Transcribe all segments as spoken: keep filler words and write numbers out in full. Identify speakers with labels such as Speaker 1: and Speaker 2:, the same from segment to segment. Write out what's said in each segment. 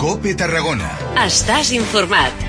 Speaker 1: COPE Tarragona.
Speaker 2: Estàs informat.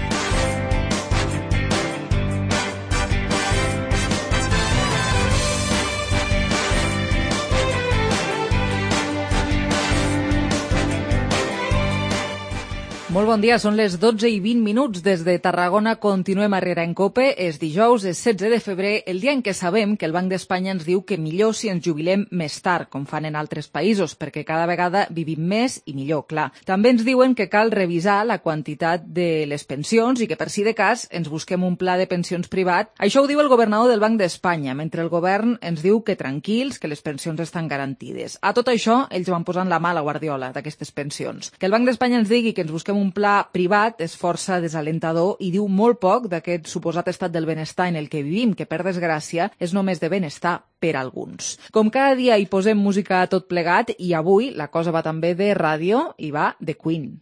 Speaker 3: Molt bon dia, són les dotze i vint minuts des de Tarragona. Continuem a Herrera en COPE. És dijous, és setze de febrer, el dia en què sabem que el Banc d'Espanya ens diu que millor si ens jubilem més tard, com fan en altres països, perquè cada vegada vivim més i millor, clar. També ens diuen que cal revisar la quantitat de les pensions i que, per si de cas, ens busquem un pla de pensions privat. Això ho diu el governador del Banc d'Espanya, mentre el govern ens diu que tranquils, que les pensions estan garantides. A tot això, ells van posant la mà a la guardiola d'aquestes pensions. Que el Banc d'Espanya ens digui que ens busquem un Un pla privat és força desalentador i diu molt poc d'aquest suposat estat del benestar en el que vivim, que per desgràcia és només de benestar per a alguns. Com cada dia hi posem música a tot plegat i avui la cosa va també de ràdio i va de Queen.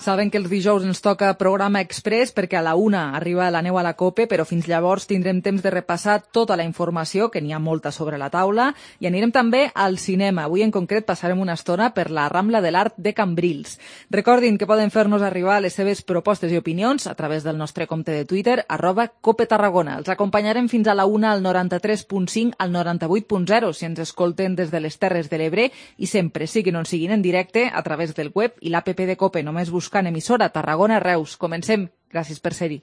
Speaker 3: Saben que els dijous ens toca programa express perquè a la una arriba la neu a la COPE, però fins llavors tindrem temps de repassar tota la informació, que n'hi ha molta sobre la taula, i anirem també al cinema. Avui en concret passarem una estona per la Rambla de l'Art de Cambrils. Recordin que poden fer-nos arribar les seves propostes i opinions a través del nostre compte de Twitter, arroba COPE Tarragona. Els acompanyarem fins a la una al noranta-tres punt cinc al noranta-vuit punt zero si ens escolten des de les Terres de l'Ebre i sempre, siguin on siguin en directe, a través del web i l'app de COPE. Només buscar buscant emissora Tarragona Reus. Comencem. Gràcies per ser-hi.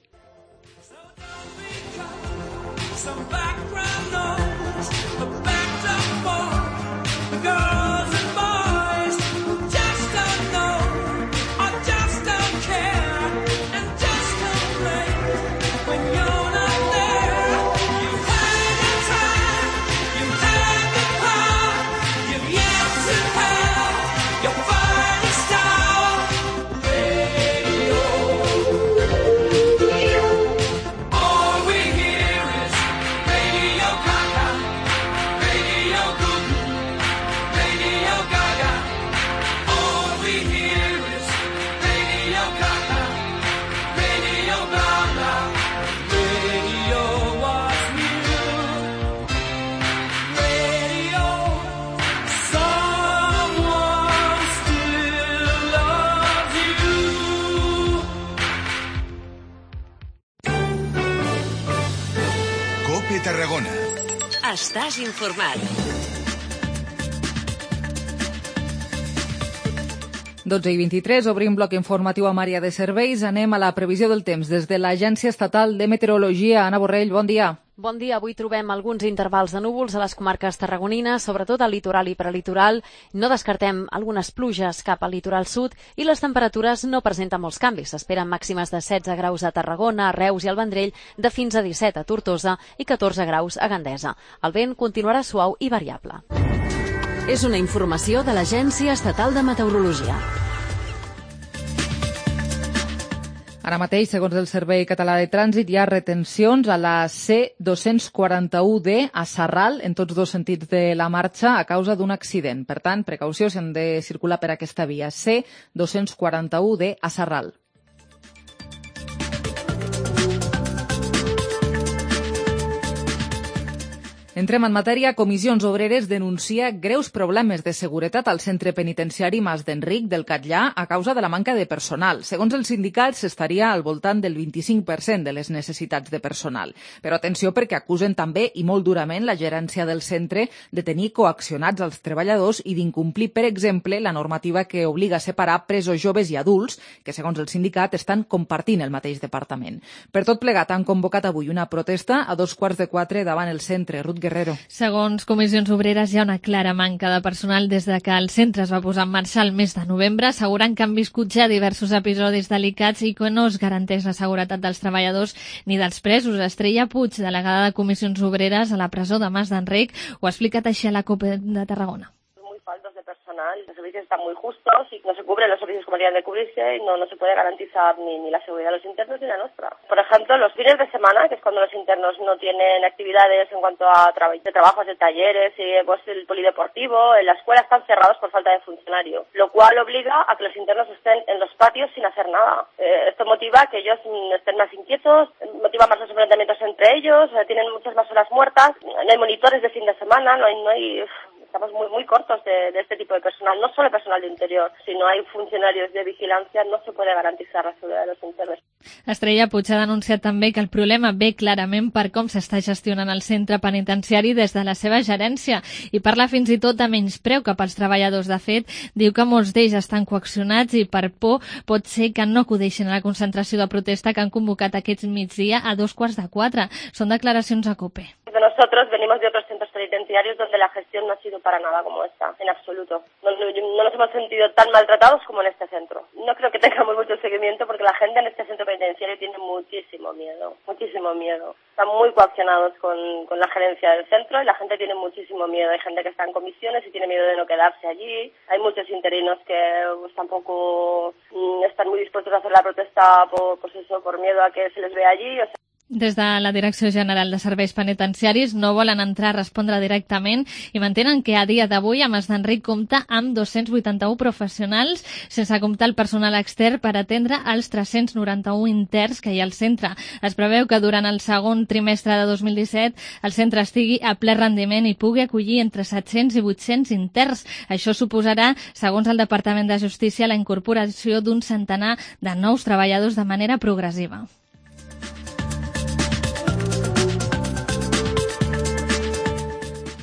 Speaker 1: Tarragona.
Speaker 2: Estàs informat.
Speaker 3: dotze i vint-i-tres, obrim bloc informatiu amb àrea de serveis. Anem a la previsió del temps des de l'Agència Estatal de Meteorologia. Anna Borrell, bon dia.
Speaker 4: Bon dia. Avui trobem alguns intervals de núvols a les comarques tarragonines, sobretot al litoral i prelitoral. No descartem algunes pluges cap al litoral sud i les temperatures no presenten molts canvis. S'esperen màximes de setze graus a Tarragona, a Reus i al Vendrell, de fins a disset a Tortosa i catorze graus a Gandesa. El vent continuarà suau i variable.
Speaker 2: És una informació de l'Agència Estatal de Meteorologia.
Speaker 3: Ara mateix, segons el Servei Català de Trànsit, hi ha retencions a la C dos-cents quaranta-u D a Sarral, en tots dos sentits de la marxa, a causa d'un accident. Per tant, precaució si han de circular per aquesta via. C dos-cents quaranta-u D a Sarral. Entrem en matèria. Comissions Obreres denuncia greus problemes de seguretat al centre penitenciari Mas d'Enric del Catllà a causa de la manca de personal. Segons els sindicats, s'estaria al voltant del vint-i-cinc per cent de les necessitats de personal. Però atenció, perquè acusen també, i molt durament, la gerència del centre de tenir coaccionats als treballadors i d'incomplir, per exemple, la normativa que obliga a separar presos joves i adults, que, segons el sindicat, estan compartint el mateix departament. Per tot plegat, han convocat avui una protesta a dos quarts de quatre davant el centre. Ruth Guerrero.
Speaker 5: Segons Comissions Obreres, hi ha una clara manca de personal des de que el centre es va posar en marxa el mes de novembre, assegurant que han viscut ja diversos episodis delicats i que no es garanteix la seguretat dels treballadors ni dels presos. Estrella Puig, delegada de Comissions Obreres a la presó de Mas d'Enric, ho ha explicat així a la COPE de Tarragona.
Speaker 6: Muy faltos de personal Los servicios están muy justos y no se cubren los servicios como deberían de cubrirse y no, no se puede garantizar ni, ni la seguridad de los internos ni la nuestra. Por ejemplo, los fines de semana, que es cuando los internos no tienen actividades en cuanto a tra de trabajos de talleres, y pues el polideportivo, en la escuela están cerrados por falta de funcionario, lo cual obliga a que los internos estén en los patios sin hacer nada. Eh, esto motiva que ellos estén más inquietos, motiva más los enfrentamientos entre ellos, eh, tienen muchas más horas muertas, no hay monitores de fin de semana, no hay... No hay estamos muy muy cortos de, de este tipo de personal, no solo personal de interior, si no hay funcionarios de vigilancia no se puede garantizar la seguretat de los internos.
Speaker 5: Estrella Puig ha denunciat també que el problema ve clarament per com s'està gestionant el centre penitenciari des de la seva gerència i parla fins i tot de menyspreu cap als treballadors. De fet, diu que molts d'ells estan coaccionats i per por pot ser que no acudeixin a la concentració de protesta que han convocat aquest migdia a dos quarts de quatre. Són declaracions a COPE.
Speaker 6: Nosotros venimos de otros centros penitenciarios donde la gestión no ha sido para nada como esta, en absoluto. No, no, no nos hemos sentido tan maltratados como en este centro. No creo que tengamos mucho seguimiento porque la gente en este centro penitenciario tiene muchísimo miedo, muchísimo miedo. Están muy coaccionados con, con la gerencia del centro y la gente tiene muchísimo miedo. Hay gente que está en comisiones y tiene miedo de no quedarse allí. Hay muchos interinos que pues, tampoco mm, están muy dispuestos a hacer la protesta por, pues eso, por miedo a que se les vea allí. O sea,
Speaker 5: Des de la Direcció General de Serveis Penitenciaris no volen entrar a respondre directament i mantenen que a dia d'avui a Mas d'Enric compta amb dos-cents vuitanta-u professionals, sense comptar el personal extern per atendre els tres-cents noranta-u interns que hi ha al centre. Es preveu que durant el segon trimestre de dos mil disset el centre estigui a ple rendiment i pugui acollir entre set-cents i vuit-cents interns. Això suposarà, segons el Departament de Justícia, la incorporació d'un centenar de nous treballadors de manera progressiva.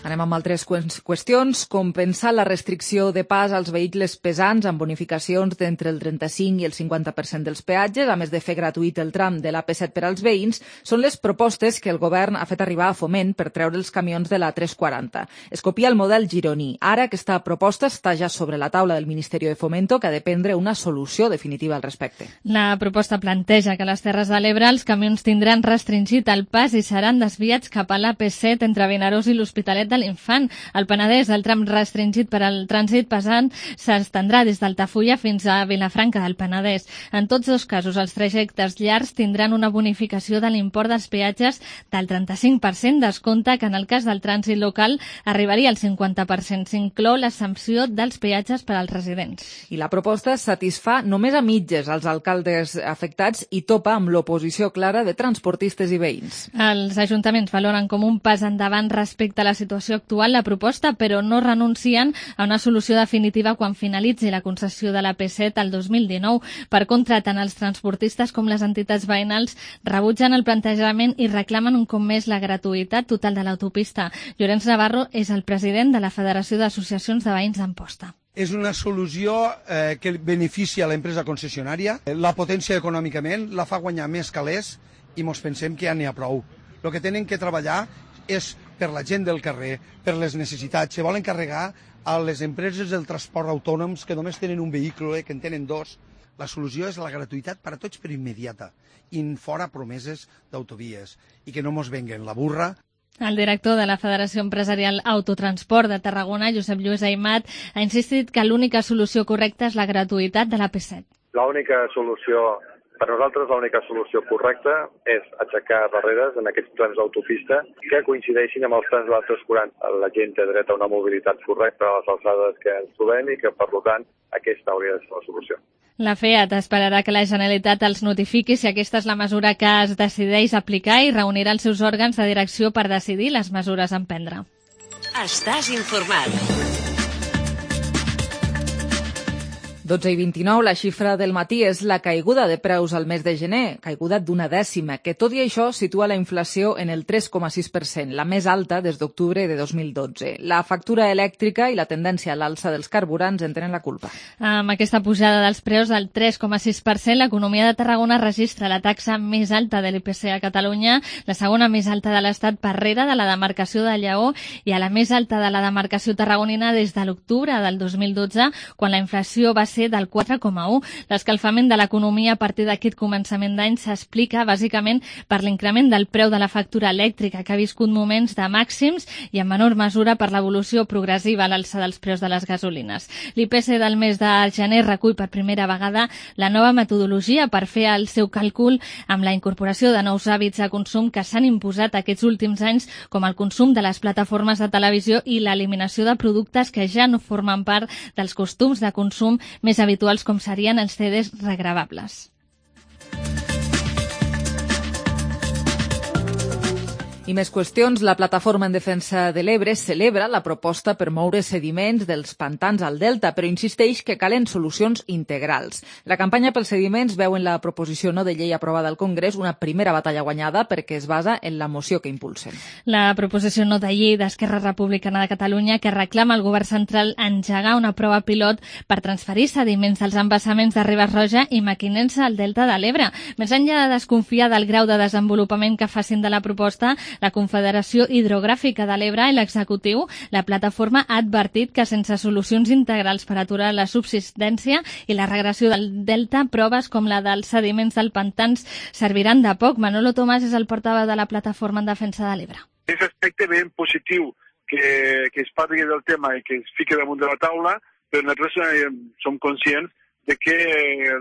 Speaker 3: Anem amb altres qüestions. Compensar la restricció de pas als vehicles pesants amb bonificacions d'entre el trenta-cinc i el cinquanta per cent dels peatges, a més de fer gratuït el tram de l'A P set per als veïns, són les propostes que el govern ha fet arribar a Foment per treure els camions de la tres quaranta. Es copia el model gironí. Ara aquesta proposta està ja sobre la taula del Ministeri de Fomento, que ha de prendre una solució definitiva al respecte.
Speaker 5: La proposta planteja que a les Terres de l'Ebre els camions tindran restringit el pas i seran desviats cap a l'A P set entre Vinaròs i l'Hospitalet de l'Infant. Al Penedès, el tram restringit per al trànsit pesant s'estendrà des d'Altafulla fins a Vilafranca del Penedès. En tots dos casos, els trajectes llargs tindran una bonificació de l'import dels peatges del trenta-cinc per cent, descompte que en el cas del trànsit local arribaria al cinquanta per cent. S'inclou l'exempció dels peatges per als residents.
Speaker 3: I la proposta satisfà només a mitges als alcaldes afectats i topa amb l'oposició clara de transportistes i veïns.
Speaker 5: Els ajuntaments valoren com un pas endavant respecte a la situació actual la proposta, però no renuncien a una solució definitiva quan finalitzi la concessió de l'A P set al dos mil dinou. Per contra, tant els transportistes com les entitats veïnals rebutgen el plantejament i reclamen un cop més la gratuïtat total de l'autopista. Llorenç Navarro és el president de la Federació d'Associacions de Veïns d'Amposta.
Speaker 7: És una solució eh, que beneficia a l'empresa concessionària, la potència econòmicament, la fa guanyar més calés i mos pensem que ja n'hi ha prou. El que tenen que treballar és per la gent del carrer, per les necessitats. Se volen carregar a les empreses del transport autònoms que només tenen un vehicle, que en tenen dos. La solució és la gratuïtat per a tots per immediata i fora promeses d'autovies i que no mos venguen la burra.
Speaker 5: El director de la Federació Empresarial Autotransport de Tarragona, Josep Lluís Aimat, ha insistit que l'única solució correcta és la gratuïtat de l'A P set.
Speaker 8: L'única solució Per nosaltres l'única solució correcta és aixecar barreres en aquests trams d'autopista que coincideixin amb els trams de la tres quaranta. La gent té dret a una mobilitat correcta a les alçades que ens trobem i que, per tant, aquesta hauria de ser la solució.
Speaker 5: La FEAT esperarà que la Generalitat els notifiqui si aquesta és la mesura que es decideix aplicar i reunirà els seus òrgans de direcció per decidir les mesures a emprendre.
Speaker 2: Estàs informat.
Speaker 3: dotze i vint-i-nou, la xifra del matí és la caiguda de preus al mes de gener, caiguda d'una dècima, que tot i això situa la inflació en el tres coma sis per cent, la més alta des d'octubre de dos mil dotze. La factura elèctrica i la tendència a l'alça dels carburants en tenen la culpa.
Speaker 5: Amb aquesta pujada dels preus del tres coma sis per cent, l'economia de Tarragona registra la taxa més alta de l'I P C a Catalunya, la segona més alta de l'Estat per rere de la demarcació de Lleó i a la més alta de la demarcació tarragonina des de l'octubre del dos mil dotze, quan la inflació va ser ser del quatre coma u. L'escalfament de l'economia a partir d'aquest començament d'any s'explica bàsicament per l'increment del preu de la factura elèctrica, que ha viscut moments de màxims, i en menor mesura per l'evolució progressiva a l'alça dels preus de les gasolines. L'I P C del mes de gener recull per primera vegada la nova metodologia per fer el seu càlcul amb la incorporació de nous hàbits de consum que s'han imposat aquests últims anys, com el consum de les plataformes de televisió i l'eliminació de productes que ja no formen part dels costums de consum més habituals, com serien els C Ds regravables.
Speaker 3: I més qüestions. La Plataforma en Defensa de l'Ebre celebra la proposta per moure sediments dels pantans al delta, però insisteix que calen solucions integrals. La campanya pels sediments veu en la proposició no de llei aprovada al Congrés una primera batalla guanyada perquè es basa en la moció que impulsen.
Speaker 5: La proposició no de llei d'Esquerra Republicana de Catalunya que reclama al govern central engegar una prova pilot per transferir sediments dels embassaments de Ribes Roja i Mequinensa al delta de l'Ebre. Més enllà de desconfiar del grau de desenvolupament que facin de la proposta, la Confederació Hidrogràfica de l'Ebre i l'executiu, la plataforma ha advertit que sense solucions integrals per aturar la subsistència i la regressió del delta, proves com la dels sediments del pantans serviran de poc. Manolo Tomàs és el portaveu de la Plataforma en Defensa de l'Ebre.
Speaker 9: És aspecte ben positiu que, que es parli del tema i que es fiqui damunt de la taula, però nosaltres eh, som conscients de que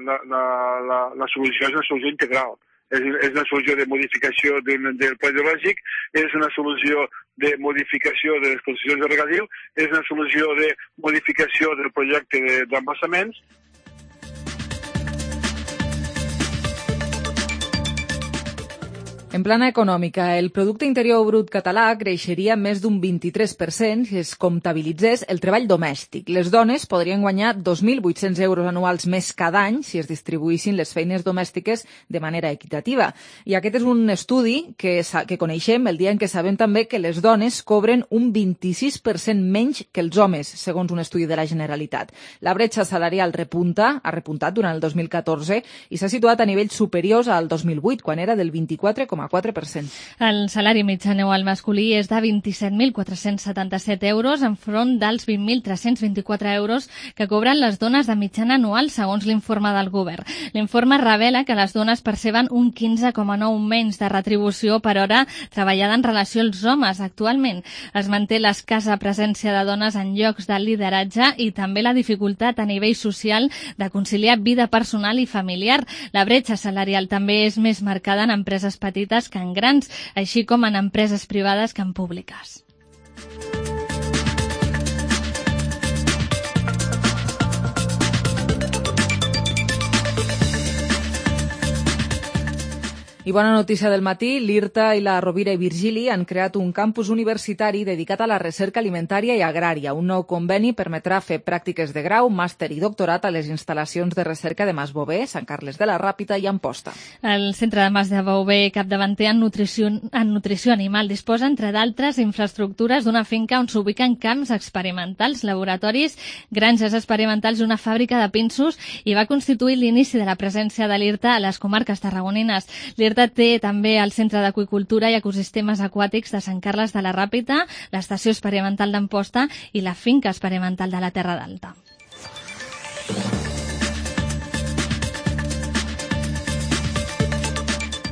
Speaker 9: la, la, la, la solució és una solució integral. És, és una solució de modificació del, del pla hidrològic, és una solució de modificació de les concessions de regadiu, és una solució de modificació del projecte d'embassaments.
Speaker 3: En plana econòmica, el producte interior brut català creixeria més d'un vint-i-tres per cent si es comptabilitzés el treball domèstic. Les dones podrien guanyar dos mil vuit-cents euros anuals més cada any si es distribuïssin les feines domèstiques de manera equitativa. I aquest és un estudi que, que coneixem el dia en què sabem també que les dones cobren un vint-i-sis per cent menys que els homes, segons un estudi de la Generalitat. La bretxa salarial repunta, ha repuntat durant el dos mil catorze i s'ha situat a nivells superiors al dos mil vuit, quan era del vint-i-quatre coma quatre per cent.
Speaker 5: El salari mitjà anual masculí és de vint-i-set mil quatre-cents setanta-set euros enfront dels vint mil tres-cents vint-i-quatre euros que cobren les dones de mitjana anual, segons l'informe del govern. L'informe revela que les dones perceben un quinze coma nou menys de retribució per hora treballada en relació als homes. Actualment es manté l'escassa presència de dones en llocs de lideratge i també la dificultat a nivell social de conciliar vida personal i familiar. La bretxa salarial també és més marcada en empreses petites que en grans, així com en empreses privades que en públiques.
Speaker 3: I bona notícia del matí, l'IRTA i la Rovira i Virgili han creat un campus universitari dedicat a la recerca alimentària i agrària. Un nou conveni permetrà fer pràctiques de grau, màster i doctorat a les instal·lacions de recerca de Masbové, Sant Carles de la Ràpita i Amposta.
Speaker 5: El Centre de Masbové, capdavanter en nutrició, en nutrició animal, disposa, entre d'altres, infraestructures d'una finca on s'ubiquen camps experimentals, laboratoris, granges experimentals i una fàbrica de pinsos, i va constituir l'inici de la presència de l'IRTA a les comarques tarragonines. L'IRTA té també el Centre d'Aqüicultura i Ecosistemes Aquàtics de Sant Carles de la Ràpita, l'Estació Experimental d'Amposta i la Finca Experimental de la Terra d'Alta.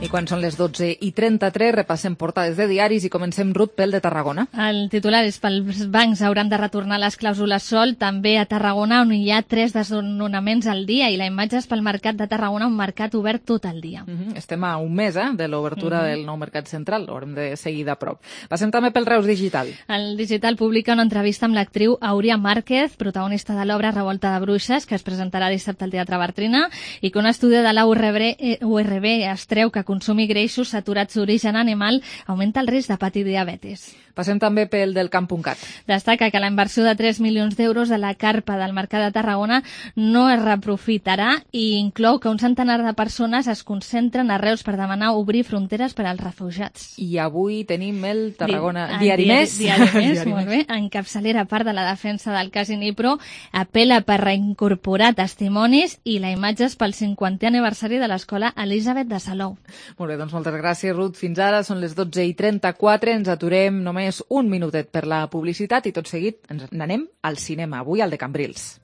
Speaker 3: I quan són les dotze i trenta-tres repassem portades de diaris i comencem, Ruth, pel de Tarragona.
Speaker 5: El titular és pels bancs hauran de retornar les clàusules sol, també a Tarragona, on hi ha tres desnonaments al dia, i la imatge és pel mercat de Tarragona, un mercat obert tot el dia.
Speaker 3: Mm-hmm. Estem a un mes eh, de l'obertura mm-hmm. del nou mercat central, l'haurem de seguir de prop. Passem també pel Reus Digital.
Speaker 5: El Digital publica una entrevista amb l'actriu Auria Márquez, protagonista de l'obra Revolta de Bruixes, que es presentarà dissabte al Teatre Bartrina, i que un estudi de la U R B es treu que consumir greixos saturats d'origen animal augmenta el risc de patir diabetis.
Speaker 3: Passem també pel del camp punt cat.
Speaker 5: Destaca que la inversió de tres milions d'euros de la carpa del Mercat de Tarragona no es reaprofitarà i inclou que un centenar de persones es concentren a Reus per demanar obrir fronteres per als refugiats.
Speaker 3: I avui tenim el Tarragona
Speaker 5: Di
Speaker 3: Diari,
Speaker 5: diari,
Speaker 3: Més.
Speaker 5: Diari Més, diari molt bé. En capçalera part de la defensa del cas Inipro, apela per reincorporar testimonis i la imatge és pel cinquantè aniversari de l'escola Elisabet de Salou.
Speaker 3: Molt bé, doncs moltes gràcies, Ruth. Fins ara són les dotze i trenta-quatre. Ens aturem només un minutet per la publicitat i tot seguit ens n'anem al cinema, avui al de Cambrils.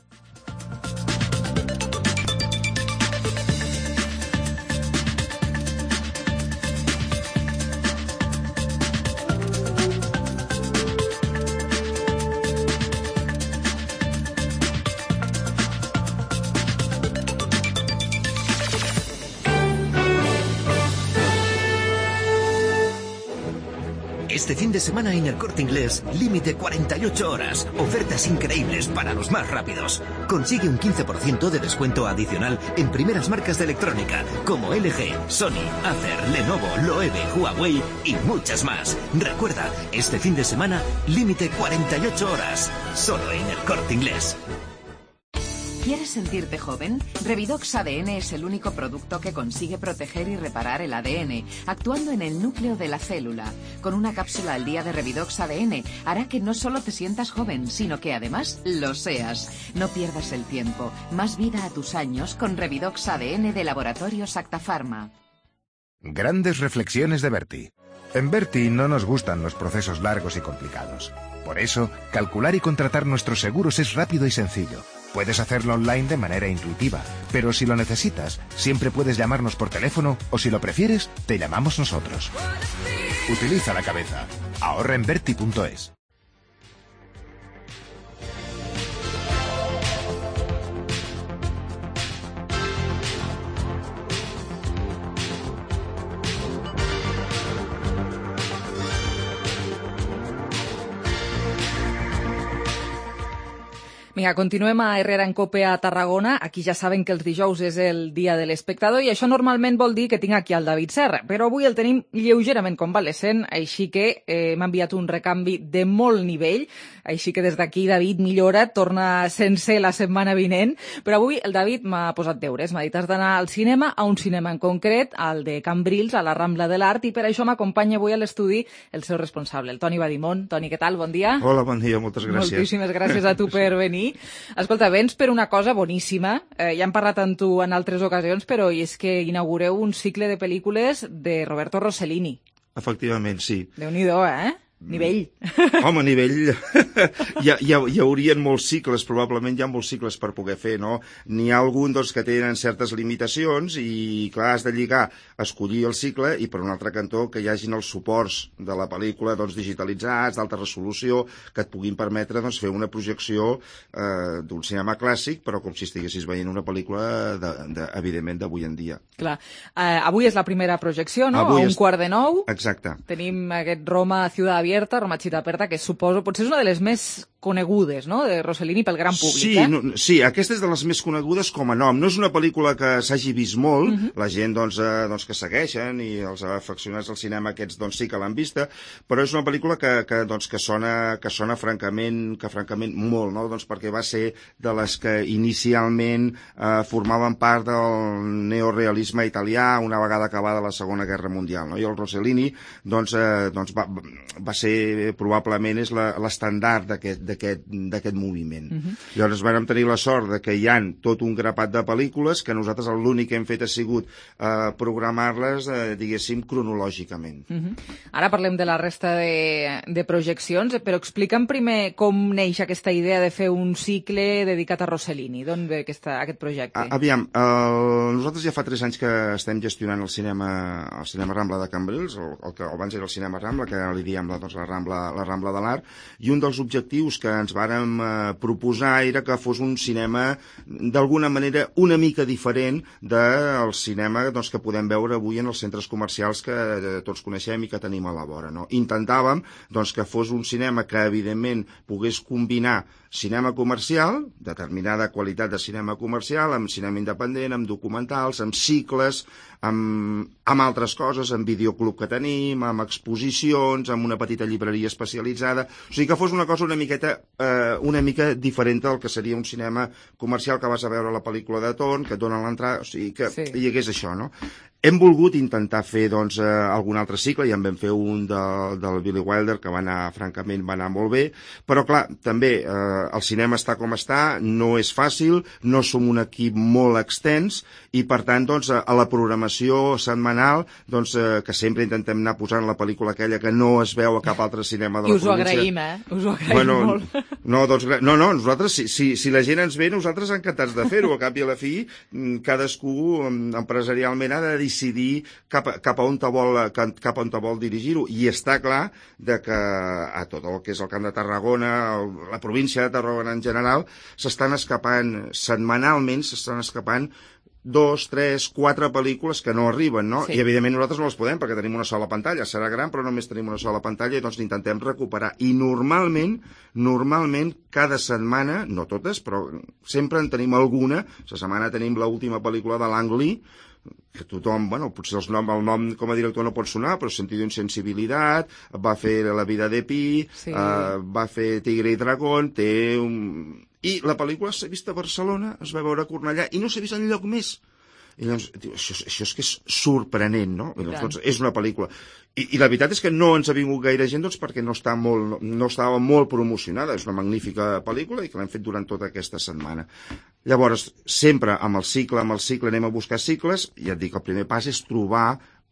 Speaker 10: Este fin de semana en El Corte Inglés, límite cuarenta y ocho horas. Ofertas increíbles para los más rápidos. Consigue un quince por ciento de descuento adicional en primeras marcas de electrónica como L G, Sony, Acer, Lenovo, Loewe, Huawei y muchas más. Recuerda, este fin de semana, límite cuarenta y ocho horas. Solo en El Corte Inglés.
Speaker 11: ¿Quieres sentirte joven? Revidox A D N es el único producto que consigue proteger y reparar el A D N, actuando en el núcleo de la célula. Con una cápsula al día de Revidox A D N, hará que no solo te sientas joven, sino que además lo seas. No pierdas el tiempo. Más vida a tus años con Revidox A D N de Laboratorios Acta Pharma.
Speaker 1: Grandes reflexiones de Berti. En Berti no nos gustan los procesos largos y complicados. Por eso, calcular y contratar nuestros seguros es rápido y sencillo. Puedes hacerlo online de manera intuitiva, pero si lo necesitas, siempre puedes llamarnos por teléfono o si lo prefieres, te llamamos nosotros. Utiliza la cabeza. Ahorra en Berti punto es.
Speaker 3: Vinga, continuem a Herrera en Cope a Tarragona. Aquí ja saben que els dijous és el dia de l'espectador i això normalment vol dir que tinc aquí el David Serra, però avui el tenim lleugerament convalescent, així que eh, m'ha enviat un recanvi de molt nivell, així que des d'aquí, David, millora, torna sense la setmana vinent, però avui el David m'ha posat deures, m'ha dit has d'anar al cinema, a un cinema en concret, al de Cambrils, a la Rambla de l'Art, i per això m'acompanya avui a l'estudi el seu responsable, el Toni Badimon. Toni, què tal? Bon dia.
Speaker 12: Hola, bon dia, moltes gràcies.
Speaker 3: Moltíssimes gràcies a tu per venir. Escolta, vens per una cosa boníssima. Eh, ja hem parlat amb tu en altres ocasions, però és que inaugureu un cicle de pel·lícules de Roberto Rossellini.
Speaker 12: Efectivament, sí.
Speaker 3: Déu-n'hi-do, eh? Nivell.
Speaker 12: Home, nivell... hi, ha, hi, ha, hi haurien molts cicles, probablement hi ha molts cicles per poder fer, no? N'hi ha algun doncs, que tenen certes limitacions i, clar, has de lligar, escollir el cicle i, per un altre cantó, que hi hagin els suports de la pel·lícula doncs, digitalitzats, d'alta resolució, que et puguin permetre doncs, fer una projecció eh, d'un cinema clàssic, però com si estiguessis veient una pel·lícula, de, de, evidentment, d'avui en dia.
Speaker 3: Clar. Eh, avui és la primera projecció, no?
Speaker 12: Avui
Speaker 3: a un
Speaker 12: és...
Speaker 3: quart de nou.
Speaker 12: Exacte.
Speaker 3: Tenim aquest Roma Ciudad Abierta, Roma Città Aperta, que suposo potser és una de les més conegudes, no?, de Rossellini pel gran públic.
Speaker 12: Sí,
Speaker 3: eh?
Speaker 12: no, sí, aquesta és de les més conegudes com a nom. No és una pel·lícula que s'hagi vist molt, uh -huh. la gent doncs, eh, doncs, que segueixen i els afeccionats al cinema aquests doncs, sí que l'han vista, però és una pel·lícula que, que, doncs, que, sona, que sona francament, que francament molt, no? Doncs perquè va ser de les que inicialment eh, formaven part del neorealisme italià una vegada acabada la Segona Guerra Mundial, no? I el Rossellini doncs, eh, doncs va, va ser, probablement, és l'estandard d'aquest d'aquest moviment. Uh-huh. Llavors vam tenir la sort de que hi ha tot un grapat de pel·lícules que nosaltres l'únic que hem fet ha sigut eh, programar-les, eh, diguéssim, cronològicament.
Speaker 3: Uh-huh. Ara parlem de la resta de, de projeccions, però explica'm primer com neix aquesta idea de fer un cicle dedicat a Rossellini. D'on ve aquesta, aquest projecte?
Speaker 12: A, aviam, el, nosaltres ja fa tres anys que estem gestionant el cinema, el cinema Rambla de Cambrils, el, el que abans era el cinema Rambla, que ara li diem la, doncs, la, Rambla, la Rambla de l'Art, i un dels objectius que ens vàrem eh, proposar era que fos un cinema d'alguna manera una mica diferent del cinema doncs, que podem veure avui en els centres comercials que eh, tots coneixem i que tenim a la vora. No? Intentàvem doncs, que fos un cinema que evidentment pogués combinar cinema comercial, determinada qualitat de cinema comercial, amb cinema independent, amb documentals, amb cicles, amb, amb altres coses, amb videoclub que tenim, amb exposicions, amb una petita llibreria especialitzada. O sigui que fos una cosa una miqueta, eh, una mica diferent del que seria un cinema comercial que vas a veure la pel·lícula de torn, que et donen l'entrada, o sigui que sí. Hi hagués això, no? Hem volgut intentar fer doncs, eh, algun altre cicle, ja en vam fer un de, del Billy Wilder, que va anar, francament, va anar molt bé, però clar, també eh, el cinema està com està, no és fàcil, no som un equip molt extens, i per tant, doncs, a la programació setmanal, doncs, eh, que sempre intentem anar posant la pel·lícula aquella que no es veu a cap altre cinema de la província.
Speaker 3: I us ho agraïm, eh? Us ho agraïm
Speaker 12: bueno,
Speaker 3: molt.
Speaker 12: No, doncs, no, no, nosaltres, si, si, si la gent ens ve, nosaltres encantats de fer-ho, a cap i a la fi, cadascú empresarialment ha de dir decidir cap, cap a on te vol, cap, cap on te vol dirigir-ho. I està clar de que a tot el que és el Camp de Tarragona, el, la província de Tarragona en general, s'estan escapant, setmanalment s'estan escapant dos, tres, quatre pel·lícules que no arriben, no?
Speaker 3: Sí.
Speaker 12: I evidentment nosaltres no les podem perquè tenim una sola pantalla, serà gran però només tenim una sola pantalla i doncs intentem recuperar. I normalment, normalment cada setmana, no totes, però sempre en tenim alguna. La setmana tenim l'última pel·lícula de Lang Lee, que tothom, bueno, potser els nom, el nom com a director no pot sonar, però Sentido insensibilitat, va fer La vida de Pi, sí. uh, va fer Tigre i Dragón, té un... I la pel·lícula s'ha vist a Barcelona, es va veure a Cornellà, i no s'ha vist enlloc més. I llavors, això, això és que és sorprenent, no? I doncs, és una pel·lícula. I, I la veritat és que no ens ha vingut gaire gent doncs, perquè no, està molt, no estava molt promocionada. És una magnífica pel·lícula i que l'hem fet durant tota aquesta setmana. Llavors, sempre amb el cicle, amb el cicle anem a buscar cicles, i ja et dic, el primer pas és trobar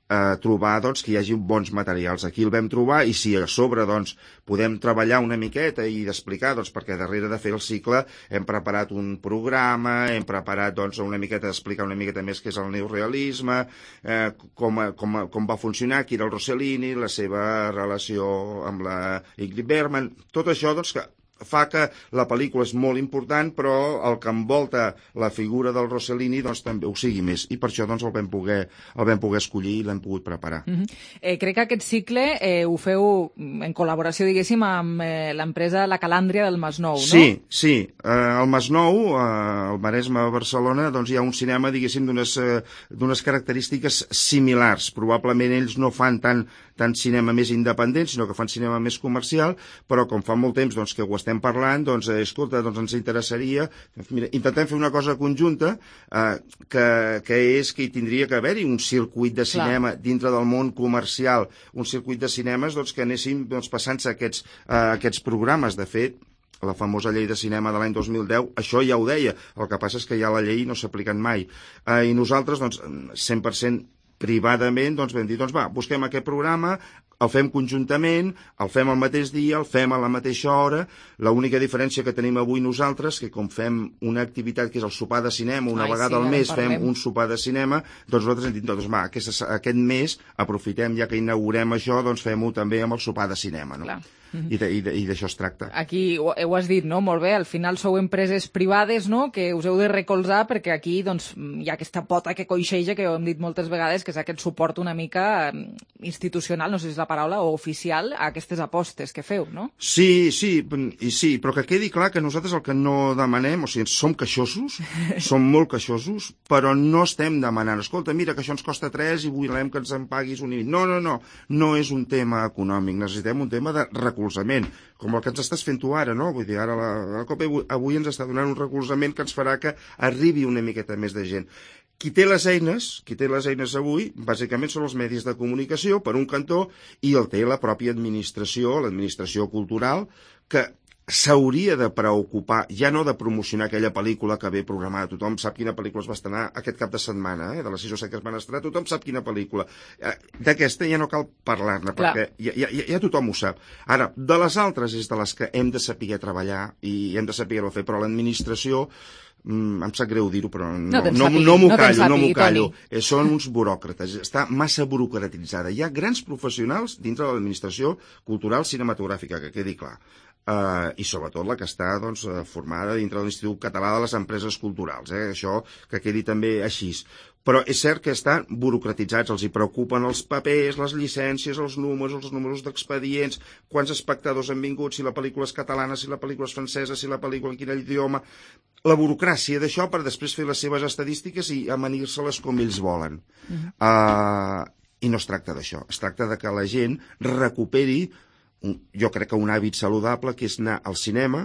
Speaker 12: Eh, trobar doncs, que hi hagi bons materials. Aquí el vam trobar i si a sobre doncs, podem treballar una miqueta i explicar, doncs, perquè darrere de fer el cicle hem preparat un programa, hem preparat doncs, una miqueta d'explicar una miqueta més què és el neorealisme, eh, com, com, com va funcionar, qui era el Rossellini, la seva relació amb la Ingrid Bergman, tot això doncs, que fa que la pel·lícula és molt important, però el que envolta la figura del Rossellini doncs, també ho sigui més. I per això doncs, el, vam poder, el vam poder escollir i l'hem pogut preparar.
Speaker 3: Mm-hmm. eh, crec que aquest cicle eh, ho feu en col·laboració, diguéssim, amb eh, l'empresa La Calàndria del Masnou, no?
Speaker 12: Sí, sí. Eh, al Masnou, eh, al Maresme, a Barcelona, doncs, hi ha un cinema, diguéssim, d'unes eh, d'unes característiques similars. Probablement ells no fan tant, tant cinema més independent, sinó que fan cinema més comercial, però com fa molt temps doncs, que ho estem parlant, doncs, eh, escolta, doncs ens interessaria, mira, intentem fer una cosa conjunta, eh, que, que és que hi tindria que haver-hi un circuit de cinema Clar. dintre del món comercial, un circuit de cinemes doncs, que anéssim doncs, passant-se aquests, eh, aquests programes. De fet, la famosa llei de cinema de l'any dos mil deu, això ja ho deia, el que passa és que ja la llei no s'ha aplicat mai. Eh, I nosaltres, doncs, cent per cent privadament, doncs vam dir, doncs va, busquem aquest programa, el fem conjuntament, el fem al mateix dia, el fem a la mateixa hora. L'única diferència que tenim avui nosaltres, que com fem una activitat que és el sopar de cinema, una Ai, vegada sí, al mes fem un sopar de cinema, doncs nosaltres hem dit, doncs va, aquest, aquest mes aprofitem, ja que inaugurem això, doncs fem-ho també amb el sopar de cinema, no? Clar. Mm-hmm. I d'això es tracta.
Speaker 3: Aquí ho, ho has dit, no? Molt bé, al final sou empreses privades, no?, que us heu de recolzar perquè aquí doncs, hi ha aquesta pota que coixeja, que ho hem dit moltes vegades, que és aquest suport una mica institucional, no sé si és la paraula, o oficial, a aquestes apostes que feu, no?
Speaker 12: Sí, sí, i sí, però que quedi clar que nosaltres el que no demanem, o sigui, som queixosos, som molt queixosos, però no estem demanant, escolta, mira, que això ens costa tres i volem que ens en paguis un i mig. No, no, no, no és un tema econòmic, necessitem un tema de recolzament, com el que ens estàs fent tu ara, no? Vull dir, ara la, la COPE avui ens està donant un recolzament que ens farà que arribi una miqueta més de gent. Qui té les eines, qui té les eines avui, bàsicament són els medis de comunicació, per un cantó, i el té la pròpia administració, l'administració cultural, que s'hauria de preocupar, ja no de promocionar aquella pel·lícula que ve programada. Tothom sap quina pel·lícula es va estrenar aquest cap de setmana, eh? De les sis o set que es van estrenar, tothom sap quina pel·lícula. Eh, D'aquesta ja no cal parlar-ne, perquè ja, ja, ja tothom ho sap. Ara, de les altres és de les que hem de saber treballar i hem de saber-ho fer, però l'administració, mm, em sap greu dir-ho, però no, no, no, no m'ho callo, no m'ho callo. Eh, són uns buròcrates, està massa burocratitzada. Hi ha grans professionals dintre de l'administració cultural cinematogràfica, que quedi clar. Uh, i sobretot la que està doncs, formada dintre de l'Institut Català de les Empreses Culturals, eh? Això que quedi també així. Però és cert que estan burocratitzats, els hi preocupen els papers, les llicències, els números, els números d'expedients, quants espectadors han vingut, si la pel·lícula és catalana, si la pel·lícula és francesa, si la pel·lícula en quin idioma... La burocràcia d'això per després fer les seves estadístiques i amanir-se-les com ells volen. Uh-huh. Uh, I no es tracta d'això, es tracta de que la gent recuperi jo crec que un hàbit saludable, que és anar al cinema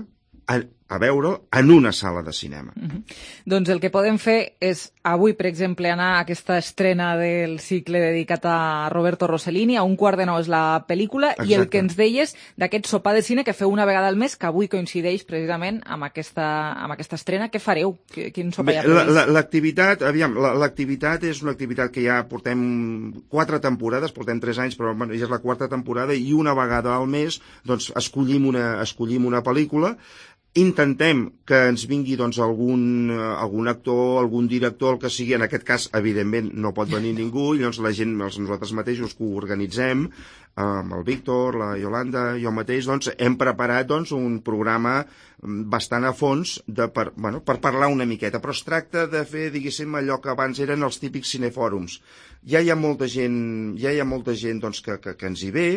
Speaker 12: a, a veure'l en una sala de cinema.
Speaker 3: Mm-hmm. Doncs el que podem fer és avui, per exemple, anar a aquesta estrena del cicle dedicat a Roberto Rossellini, a un quart de nou és la pel·lícula. Exacte. I el que ens deies d'aquest sopar de cine que feu una vegada al mes, que avui coincideix precisament amb aquesta, amb aquesta estrena. Què fareu? Quin sopar hi ha previst?
Speaker 12: L'activitat, aviam, l'activitat és una activitat que ja portem quatre temporades, portem tres anys, però bueno, ja és la quarta temporada, i una vegada al mes doncs, escollim, una, escollim una pel·lícula. intentem que ens vingui doncs, algun, algun actor, algun director, el que sigui. En aquest cas, evidentment, no pot venir ningú, i llavors la gent, nosaltres mateixos, que ho organitzem, amb el Víctor, la Yolanda, jo mateix, doncs, hem preparat doncs, un programa bastant a fons de, per, bueno, per parlar una miqueta, però es tracta de fer, diguéssim, allò que abans eren els típics cinefòrums. Ja hi ha molta gent, ja hi ha molta gent doncs, que, que, que ens hi ve,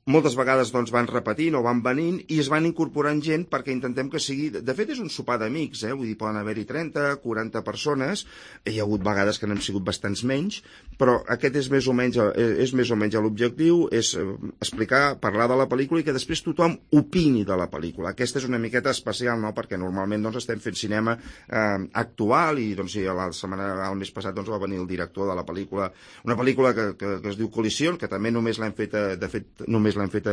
Speaker 12: moltes vegades doncs, van repetint o van venint i es van incorporant gent perquè intentem que sigui... De fet, és un sopar d'amics, eh? Vull dir, poden haver-hi trenta, quaranta persones, hi ha hagut vegades que n'hem sigut bastants menys, però aquest és més o menys, és més o menys l'objectiu, és explicar, parlar de la pel·lícula i que després tothom opini de la pel·lícula. Aquesta és una miqueta especial, no?, perquè normalment doncs, estem fent cinema eh, actual i doncs, sí, la setmana, el mes passat doncs, va venir el director de la pel·lícula, una pel·lícula que, que, que es diu Col·lisió, que també només l'hem fet, de fet, només l'hem fet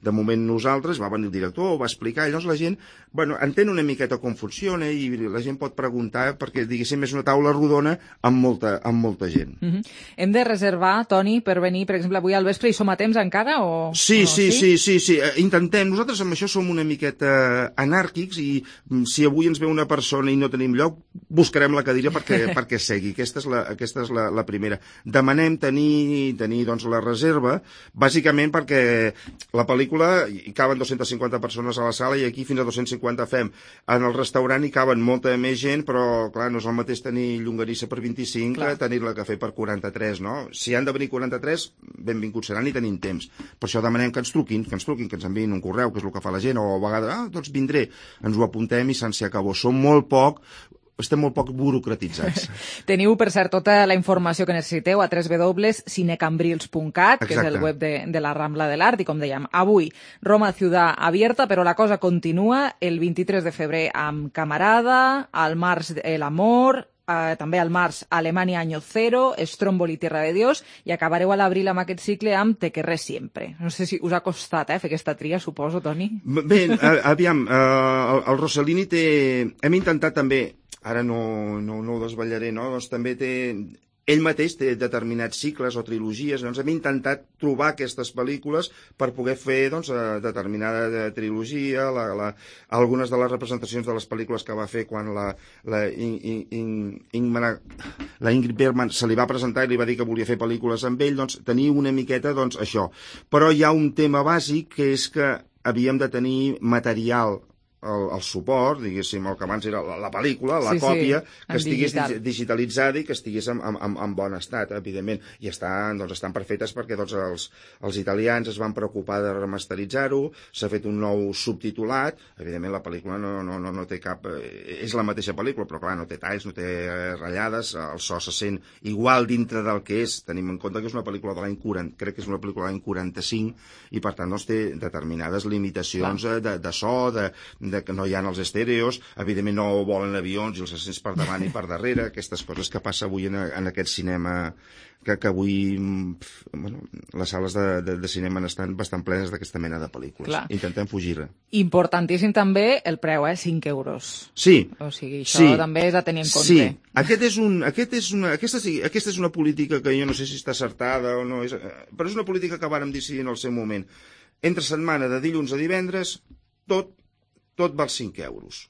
Speaker 12: de moment nosaltres, va venir el director, ho va explicar, i llavors la gent, bueno, entén una miqueta com funciona i la gent pot preguntar perquè, diguéssim, és una taula rodona amb molta, amb molta gent.
Speaker 3: Mm-hmm. Hem de reservar, Toni, per venir, per exemple, avui al vespre, i som a temps encara? O,
Speaker 12: sí,
Speaker 3: o
Speaker 12: sí, sí, sí, sí, intentem, nosaltres amb això som una miqueta anàrquics i si avui ens ve una persona i no tenim lloc, buscarem la cadira perquè, perquè segui. Aquesta és, la, aquesta és la, la primera. Demanem tenir, tenir doncs, la reserva, bàsicament perquè la pel·lícula hi caben dues-centes cinquanta persones a la sala i aquí fins a dos-cents cinquanta fem. En el restaurant hi caben molta més gent, però clar, no és el mateix tenir llonganissa per vint-i-cinc clar. que tenir-la cafè per quaranta-tres, no? Si han de venir quaranta-tres, benvinguts seran i tenim temps. Per això demanem que ens truquin, que ens truquin, que ens enviïn un correu, que és el que fa la gent, o a vegades, ah, doncs vindré, ens ho apuntem i se'n acabó. Som molt poc, estem molt poc burocratitzats.
Speaker 3: Teniu, per cert, tota la informació que necessiteu a w w w punt cinecambrils punt cat, que és el web de, de la Rambla de l'Art, i com dèiem, avui Roma Ciudad Abierta, però la cosa continua el vint-i-tres de febrer amb Camarada, al març El Amor, Uh, també al març Alemanya Año Cero, Stromboli Tierra de Dios, i acabareu a l'abril amb aquest cicle amb Te querré siempre. No sé si us ha costat eh, fer aquesta tria, suposo, Toni.
Speaker 12: Bé, aviam, uh, el Rossellini té... Hem intentat també, ara no, no, no ho desvetllaré, no? Doncs també té... Ell mateix té determinats cicles o trilogies, doncs hem intentat trobar aquestes pel·lícules per poder fer doncs, determinada trilogia, la, la, algunes de les representacions de les pel·lícules que va fer quan la, la, in, in, in, la Ingrid Bergman se li va presentar i li va dir que volia fer pel·lícules amb ell, doncs tenir una miqueta doncs, això. Però hi ha un tema bàsic que és que havíem de tenir material El, el suport, diguéssim, el que abans era la, la pel·lícula, la sí, còpia, sí, que estigués digital. digitalitzada i que estigués en, en, en bon estat, evidentment. I estan, doncs, estan perfectes perquè doncs, els, els italians es van preocupar de remasteritzar-ho, s'ha fet un nou subtitulat, evidentment la pel·lícula no, no, no, no té cap... Eh, és la mateixa pel·lícula, però clar, no té talls, no té ratllades, el so se sent igual dintre del que és. Tenim en compte que és una pel·lícula de l'any quaranta, crec que és una pel·lícula de l'any quaranta-cinc, i per tant doncs, té determinades limitacions de, de, de so, de, de que no hi ha els estèreos, evidentment no volen avions i els assents per davant i per darrere, aquestes coses que passa avui en, en aquest cinema, que, que avui bueno, les sales de, de, de cinema estan bastant plenes d'aquesta mena de pel·lícules. Clar. Intentem fugir-ne.
Speaker 3: Importantíssim també el preu, eh? cinc euros.
Speaker 12: Sí.
Speaker 3: O sigui, això
Speaker 12: sí.
Speaker 3: també és a tenir en compte.
Speaker 12: Sí. Aquest és un, aquest és una, aquesta, aquesta és una política que jo no sé si està acertada o no, és, però és una política que vàrem decidir en el seu moment. Entre setmana, de dilluns a divendres, tot tot val cinc euros.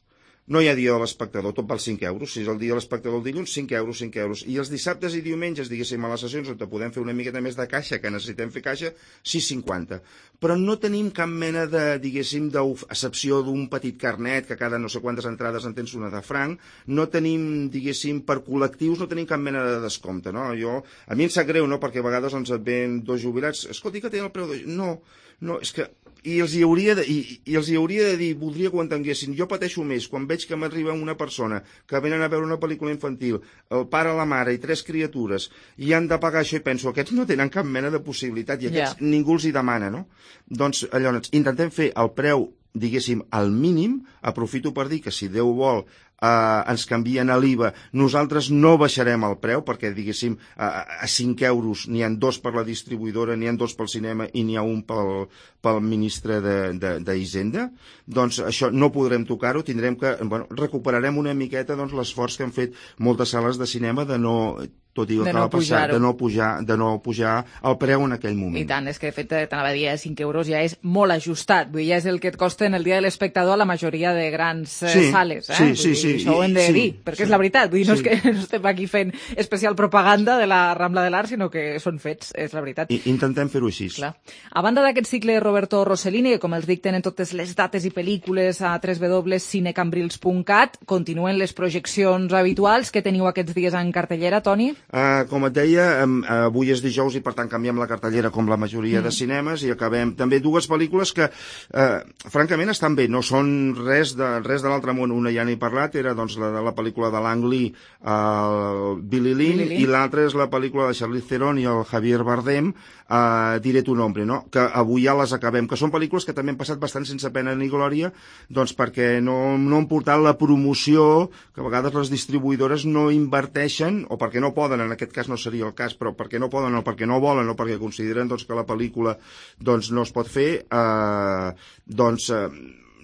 Speaker 12: No hi ha dia de l'espectador, tot val cinc euros. Si és el dia de l'espectador el dilluns, cinc euros, cinc euros. I els dissabtes i diumenges, diguéssim, a les sessions on podem fer una miqueta més de caixa, que necessitem fer caixa, sis cinquanta. Però no tenim cap mena de, diguéssim, d'excepció d'un petit carnet, que cada no sé quantes entrades en tens una de franc. No tenim, diguéssim, per col·lectius, no tenim cap mena de descompte, no? Jo, a mi em sap greu, no?, perquè a vegades ens et ven dos jubilats, escolti, que tenen el preu de... No, no, és que... I els hi hauria de, i, i els hi hauria de dir, voldria que ho entenguessin, jo pateixo més quan veig que m'arriba una persona que venen a veure una pel·lícula infantil, el pare, la mare i tres criatures, i han de pagar això, i penso, aquests no tenen cap mena de possibilitat, i aquests yeah. ningú els hi demana, no? Doncs, llavors, intentem fer el preu, diguéssim, al mínim, aprofito per dir que si Déu vol Uh, ens canvien a l'I V A, nosaltres no baixarem el preu perquè, diguéssim, uh, a cinc euros n'hi ha dos per la distribuïdora, n'hi ha dos pel cinema i n'hi ha un pel, pel ministre d'Hisenda. Doncs això no podrem tocar-ho, tindrem que, bueno, recuperarem una miqueta doncs, l'esforç que han fet moltes sales de cinema de no tot i el
Speaker 3: de
Speaker 12: que
Speaker 3: no
Speaker 12: va passar,
Speaker 3: pujar-ho.
Speaker 12: de no pujar, de no pujar el preu en aquell moment.
Speaker 3: I tant, és que de fet t'anava a dir, eh, cinc euros ja és molt ajustat, vull dir, ja és el que et costa en el dia de l'espectador a la majoria de grans eh,
Speaker 12: Sí,
Speaker 3: sales, eh?
Speaker 12: sí,
Speaker 3: Vull
Speaker 12: sí,
Speaker 3: dir,
Speaker 12: sí,
Speaker 3: això ho hem de
Speaker 12: sí,
Speaker 3: dir, perquè
Speaker 12: sí.
Speaker 3: és la veritat, vull dir, no
Speaker 12: Sí.
Speaker 3: és que no estem aquí fent especial propaganda de la Rambla de l'Art, sinó que són fets, és la veritat.
Speaker 12: I intentem fer-ho així.
Speaker 3: Clar. A banda d'aquest cicle de Roberto Rossellini, que com els dic tenen totes les dates i pel·lícules a w w w punt cinecambrils punt cat, continuen les projeccions habituals que teniu aquests dies en cartellera, Toni?
Speaker 12: Uh, com et deia, um, avui és dijous i per tant canviem la cartellera com la majoria mm. de cinemes i acabem també dues pel·lícules que uh, francament estan bé, no són res de, res de l'altre món. Una ja n'he parlat, era doncs, la de la pel·lícula de Lang Lee, uh, Billy Lynn,
Speaker 3: Billy Lynn,
Speaker 12: i l'altra és la pel·lícula de Charlize Theron i el Javier Bardem, uh, Diré tu nombre, no? Que avui ja les acabem, que són pel·lícules que també han passat bastant sense pena ni glòria, doncs perquè no, no han portat la promoció, que a vegades les distribuïdores no inverteixen, o perquè no poden, en aquest cas no seria el cas, però perquè no poden o perquè no volen o perquè consideren doncs, que la pel·lícula doncs, no es pot fer, eh, doncs eh,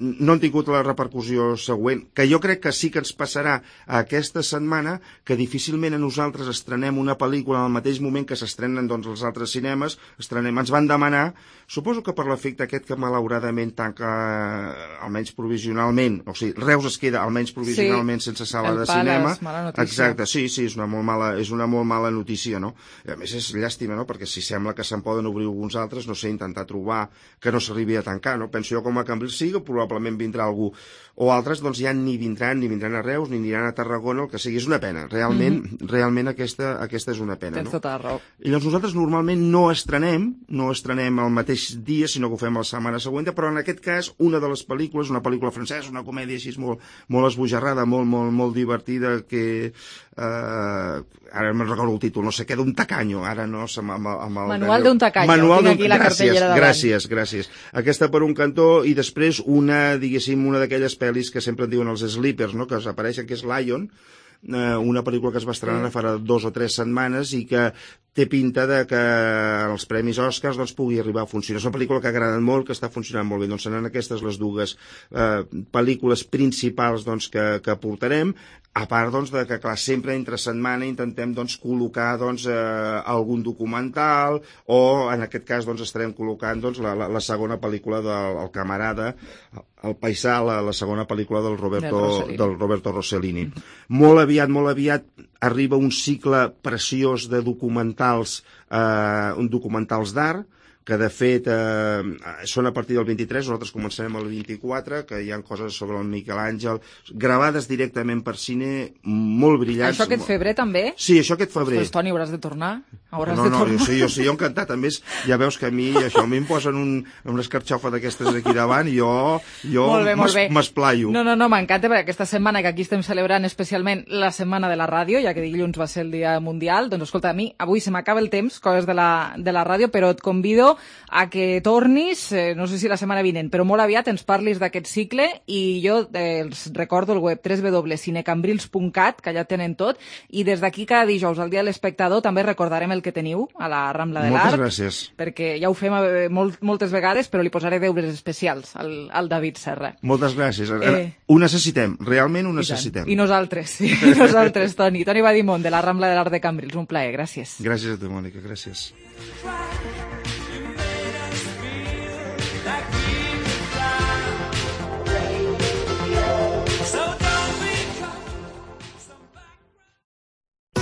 Speaker 12: no han tingut la repercussió següent, que jo crec que sí que ens passarà aquesta setmana, que difícilment a nosaltres estrenem una pel·lícula al mateix moment que s'estrenen doncs, els altres cinemes, estrenem, ens van demanar, suposo que per l'efecte aquest que malauradament tanca, almenys provisionalment, o sigui, Reus es queda almenys provisionalment sí, sense sala de cinema. Exacte, sí, sí, és una molt mala, és una molt mala notícia, no? I a més és llàstima, no?, perquè si sembla que se'n poden obrir alguns altres, no sé, intentar trobar que no s'arribi a tancar, no? Penso jo com a Cambrils sí, que probablement vindrà algú, o altres doncs ja ni vindran, ni vindran a Reus, ni aniran a Tarragona, el que sigui, és una pena, realment, mm -hmm. realment aquesta, aquesta és una pena.
Speaker 3: Tens
Speaker 12: no?
Speaker 3: tota la raó.
Speaker 12: I doncs nosaltres normalment no estrenem, no estrenem el mateix dia, sinó que ho fem la setmana següent, però en aquest cas una de les pel·lícules, una pel·lícula francesa, una comèdia així molt, molt esbojarrada, molt, molt, molt divertida, que eh, ara me'n recordo el títol, no sé què, d'un tacanyo, ara no, amb, amb, amb el...
Speaker 3: Manual d'un tacanyo,
Speaker 12: Manual
Speaker 3: tinc aquí la
Speaker 12: gràcies,
Speaker 3: cartellera davant.
Speaker 12: Gràcies, gràcies. Aquesta per un cantó, i després una, diguéssim, una d'aquelles pel·lis que sempre en diuen els sleepers, no?, que apareixen, que és Lion, una pel·lícula que es va estrenar fa dos o tres setmanes i que té pinta de que els Premis Oscars doncs, pugui arribar a funcionar. És una pel·lícula que ha agradat molt, que està funcionant molt bé. Doncs seran aquestes les dues eh, pel·lícules principals doncs, que, que portarem, a part doncs, de que, clar, sempre entre setmana intentem doncs, col·locar doncs, eh, algun documental o, en aquest cas, doncs, estarem col·locant doncs, la, la, la segona pel·lícula del el camarada, el paisà, la, la segona pel·lícula del Roberto, del Roberto Rossellini. Mm -hmm. Molt aviat, molt aviat arriba un cicle preciós de documentals, eh, un documentals d'art, que de fet eh, són a partir del vint-i-tres, nosaltres començarem el vint-i-quatre, que hi ha coses sobre el Miquel Àngel, gravades directament per cine, molt brillants.
Speaker 3: Això aquest febrer també?
Speaker 12: Sí, això aquest febrer.
Speaker 3: Ostres, Toni, hauràs de tornar? Hauràs
Speaker 12: no,
Speaker 3: de
Speaker 12: no,
Speaker 3: tornar.
Speaker 12: jo sí, jo sí, jo encantat. A més, ja veus que a mi, això, a mi em posen un, una escarxofa d'aquestes aquí davant i jo, jo m'esplaio.
Speaker 3: No, no, no, m'encanta, perquè aquesta setmana que aquí estem celebrant especialment la setmana de la ràdio, ja que dilluns va ser el dia mundial, doncs escolta, a mi avui se m'acaba el temps, coses de la, de la ràdio, però et convido a que tornis, eh, no sé si la setmana vinent, però molt aviat ens parlis d'aquest cicle i jo eh, els recordo el web w w w punt cinecambrils punt cat, que ja tenen tot, i des d'aquí cada dijous al dia de l'espectador també recordarem el que teniu a la Rambla de l'Art.
Speaker 12: Moltes gràcies.
Speaker 3: Perquè ja ho fem eh, molt, moltes vegades, però li posaré deures especials al, al David Serra.
Speaker 12: Moltes gràcies. Eh, ho necessitem, realment ho necessitem.
Speaker 3: I, I nosaltres, sí, i nosaltres, Toni. Toni Badimont, de la Rambla de l'Art de Cambrils. Un plaer, gràcies.
Speaker 12: Gràcies a tu, Mònica, gràcies.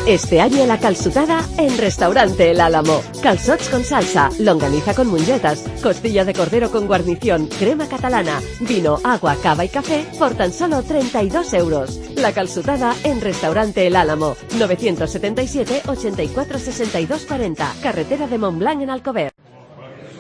Speaker 13: Este año la calçotada en Restaurante El Álamo. Calzots con salsa, longaniza con mungetas, costilla de cordero con guarnición, crema catalana, vino, agua, cava y café por tan solo treinta y dos euros. La calçotada en Restaurante El Álamo. novecientos setenta y siete, ochenta y cuatro, sesenta y dos cuarenta. Carretera de Montblanc en Alcover.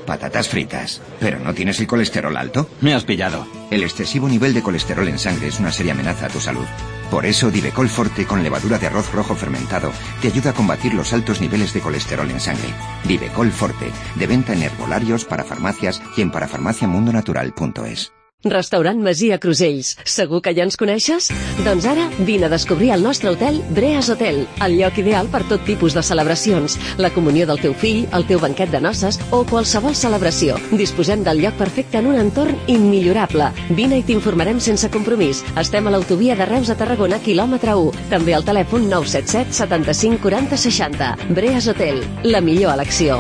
Speaker 14: Patatas fritas. ¿Pero no tienes el colesterol alto?
Speaker 15: Me has pillado.
Speaker 14: El excesivo nivel de colesterol en sangre es una seria amenaza a tu salud. Por eso, Divecol Forte con levadura de arroz rojo fermentado te ayuda a combatir los altos niveles de colesterol en sangre. Divecol Forte, de venta en herbolarios, para farmacias y en parafarmaciamundonatural punto es.
Speaker 13: Restaurant Masia Crusells. Segur que ja ens coneixes? Doncs ara vine a descobrir el nostre hotel Breas Hotel, el lloc ideal per tot tipus de celebracions, la comunió del teu fill, el teu banquet de noces o qualsevol celebració. Disposem del lloc perfecte en un entorn immillorable. Vine i t'informarem sense compromís. Estem a l'autovia de Reus a Tarragona, quilòmetre u. També al telèfon nou set set setanta-cinc quaranta seixanta. Breas Hotel, la millor elecció.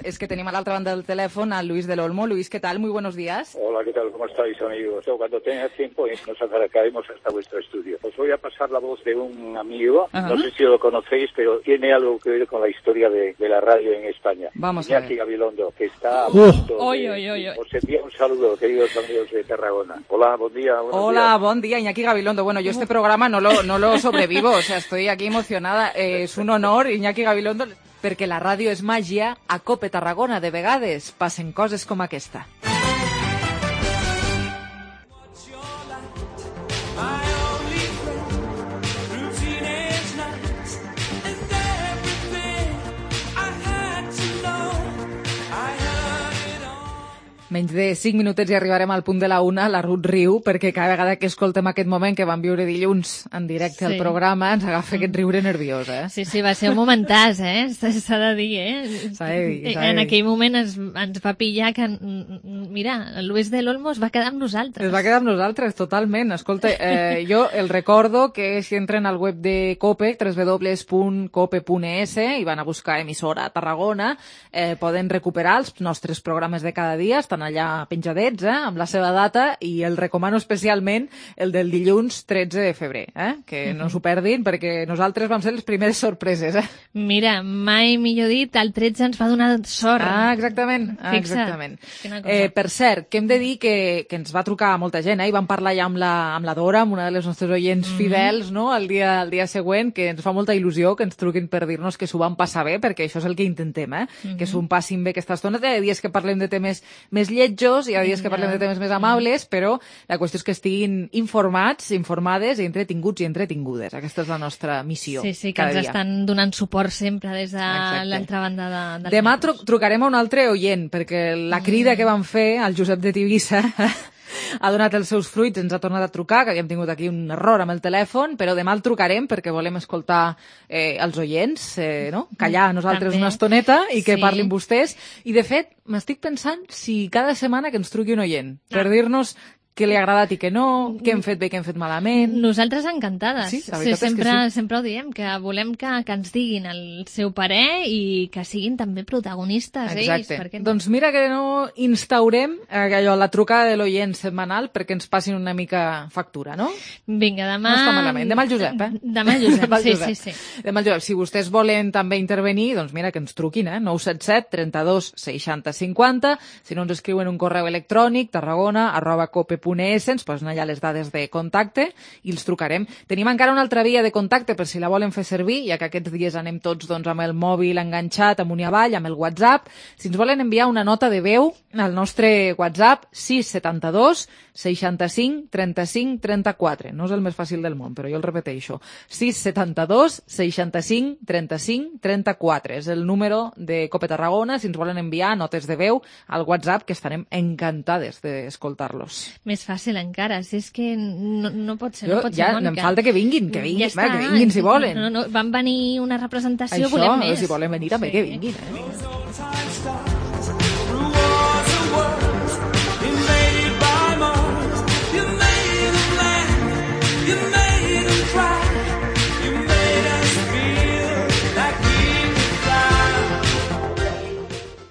Speaker 3: Es que tenemos a la otra banda del teléfono a Luis del Olmo. Luis, ¿qué tal? Muy buenos días.
Speaker 15: Hola, ¿qué tal? ¿Cómo estáis, amigos? Cuando tenga tiempo nos acercaremos hasta vuestro estudio. Os voy a pasar la voz de un amigo, Ajá. no sé si lo conocéis, pero tiene algo que ver con la historia de, de la radio en España.
Speaker 3: Vamos
Speaker 15: Iñaki
Speaker 3: a ver.
Speaker 15: Gabilondo, que está a punto
Speaker 3: uh.
Speaker 15: de...
Speaker 3: Oy, oy, oy, oy.
Speaker 15: Os envío un saludo, queridos amigos de Tarragona. Hola, buen día.
Speaker 3: Hola,
Speaker 15: días.
Speaker 3: buen día, Iñaki Gabilondo. Bueno, yo este programa no lo, no lo sobrevivo, o sea, estoy aquí emocionada. Eh, es un honor, Iñaki Gabilondo, perquè la ràdio és màgia. A Cope Tarragona, de vegades, passen coses com aquesta. Menys de cinc minutets i arribarem al punt de la una. La Ruth riu, perquè cada vegada que escoltem aquest moment que vam viure dilluns en directe
Speaker 5: Sí.
Speaker 3: al programa ens agafa aquest riure nerviós, eh?
Speaker 5: Sí, sí, va ser un momentàs, eh? S'ha de dir, eh?
Speaker 3: S'ha de dir, s'ha de
Speaker 5: En
Speaker 3: dir.
Speaker 5: aquell moment es, ens va pillar que, mira, el Luis del Olmo es va quedar amb nosaltres.
Speaker 3: Es va quedar amb nosaltres, totalment. Escolta, eh, jo el recordo que si entren al web de COPE, w w w punt cope punt e s, i van a buscar emissora a Tarragona, eh, poden recuperar els nostres programes de cada dia, estan allà penjadets, eh, amb la seva data, i el recomano especialment el del dilluns tretze de febrer, eh, que no s'ho perdin, perquè nosaltres vam ser les primeres sorpreses, eh.
Speaker 5: Mira, mai millor dit, el tretze ens va donar sort.
Speaker 3: Ah, exactament, ah,
Speaker 5: Fixa't.
Speaker 3: exactament.
Speaker 5: Quina cosa.
Speaker 3: Eh, per cert, que hem de dir que, que ens va trucar molta gent, eh, i vam parlar ja amb la, amb la Dora, amb una de les nostres oients
Speaker 5: Mhm.
Speaker 3: fidels, no?, el dia, el dia següent, que ens fa molta il·lusió que ens truquin per dir-nos que s'ho van passar bé, perquè això és el que intentem, eh,
Speaker 5: Mhm.
Speaker 3: que s'ho passin bé aquesta estona. Hi ha dies que parlem de temes més lletjos, hi ha dies que parlem de temes més amables, però la qüestió és que estiguin informats, informades i entretinguts i entretingudes. Aquesta és la nostra missió.
Speaker 5: Sí, sí, que
Speaker 3: cada
Speaker 5: ens
Speaker 3: dia.
Speaker 5: estan donant suport sempre des de
Speaker 3: Exacte.
Speaker 5: l'altra banda de, del
Speaker 3: Demà tru trucarem a un altre oient, perquè la crida que van fer al Josep de Tivissa ha donat els seus fruits, ens ha tornat a trucar, que havíem tingut aquí un error amb el telèfon, però demà el trucarem perquè volem escoltar eh, els oients, eh, no? callar nosaltres
Speaker 5: També.
Speaker 3: una estoneta i que
Speaker 5: Sí.
Speaker 3: parlin vostès. I, de fet, m'estic pensant si cada setmana que ens truqui un oient, per
Speaker 5: Ah.
Speaker 3: dir-nos què li ha agradat i què no, què hem fet bé, què hem fet malament.
Speaker 5: Nosaltres encantades.
Speaker 3: Sí, la veritat és que
Speaker 5: sempre,
Speaker 3: sí.
Speaker 5: sempre ho diem, que volem que, que ens diguin el seu parer i que siguin també protagonistes
Speaker 3: Exacte.
Speaker 5: ells. Perquè no?
Speaker 3: Doncs mira que no instaurem eh, allò, la trucada de l'oient setmanal perquè ens passin una mica factura, no?
Speaker 5: Vinga, demà...
Speaker 3: No està malament. Demà el Josep, eh?
Speaker 5: Demà el Josep,
Speaker 3: Demà el
Speaker 5: sí,
Speaker 3: Josep.
Speaker 5: sí, sí.
Speaker 3: Demà el Josep. Si vostès volen també intervenir, doncs mira, que ens truquin, eh? nou set set trenta-dos seixanta cinquanta. Si no, ens escriuen un correu electrònic, tarragona arroba cope punt e s, ens posen allà les dades de contacte i els trucarem. Tenim encara una altra via de contacte per si la volen fer servir, ja que aquests dies anem tots doncs, amb el mòbil enganxat amunt i avall, amb el WhatsApp. Si ens volen enviar una nota de veu al nostre WhatsApp, sis setanta dos seixanta-cinc trenta-cinc trenta-quatre. No és el més fàcil del món, però jo el repeteixo. sis setanta dos seixanta-cinc trenta-cinc trenta-quatre. És el número de Cope Tarragona, si ens volen enviar notes de veu al WhatsApp, que estarem encantades d'escoltar-los.
Speaker 5: Més fàcil encara, si és que no, no pot ser,
Speaker 3: Jo,
Speaker 5: no pot
Speaker 3: ja,
Speaker 5: ser, Mònica.
Speaker 3: em falta que vinguin, que vinguin,
Speaker 5: ja
Speaker 3: va, que vinguin si volen.
Speaker 5: No, no, van venir una representació,
Speaker 3: Això,
Speaker 5: volem més.
Speaker 3: si volen venir també, que vinguin, eh?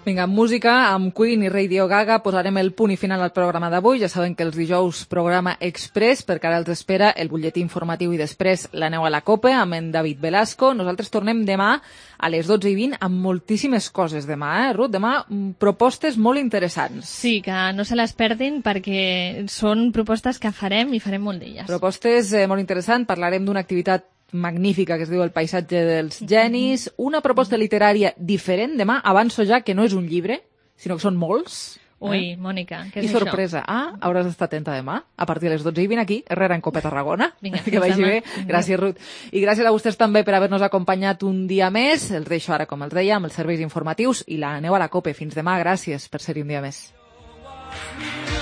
Speaker 3: Vinga, amb música, amb Queen i Radio Gaga posarem el punt i final al programa d'avui. Ja saben que els dijous programa Express, perquè ara els espera el butlletí informatiu i després l'aneu a la Copa amb en David Velasco. Nosaltres tornem demà a les dotze i vint amb moltíssimes coses demà, eh, Ruth? Demà mm, propostes molt interessants.
Speaker 5: Sí, que no se les perdin perquè són propostes que farem i farem molt d'elles.
Speaker 3: Propostes eh, molt interessants. Parlarem d'una activitat magnífica que es diu El paisatge dels genis, una proposta literària diferent. Demà avanço ja que no és un llibre, sinó que són molts.
Speaker 5: Ui,
Speaker 3: eh?
Speaker 5: Mònica, què
Speaker 3: I
Speaker 5: és
Speaker 3: sorpresa. Ah, hauràs d'estar atenta demà, a partir de les dotze i vint aquí, Herrera en Copa Tarragona.
Speaker 5: Vinga,
Speaker 3: que vagi
Speaker 5: demà.
Speaker 3: bé. Gràcies, Ruth. I gràcies a vostès també per haver-nos acompanyat un dia més. Els deixo ara, com els deia, amb els serveis informatius i la aneu a la Copa. Fins demà, gràcies per ser-hi un dia més.
Speaker 16: Dios mío.